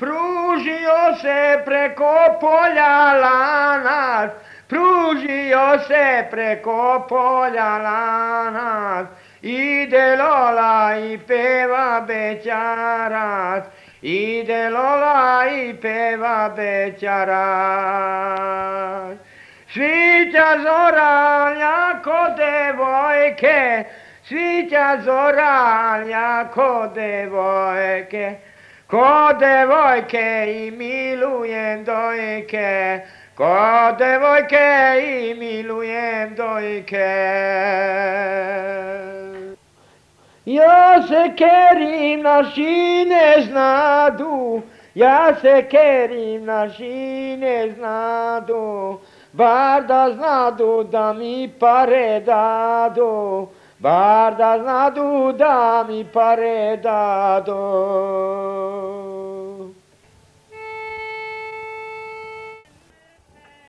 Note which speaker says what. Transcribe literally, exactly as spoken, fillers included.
Speaker 1: Pružio se preko polja lanac, pružio se preko polja lanac, ide Lola i peva bećarac, ide Lola i peva bećarac. Svića zora ko devojke, svića zora ko devojke, ko devojke i milujem dojke, ko devojke i milujem dojke. Ja se kerim, naši ne znadu, ja se kerim, naši ne znadu, bar da znadu da mi pare dadu, bar da znadu da mi pare dadu.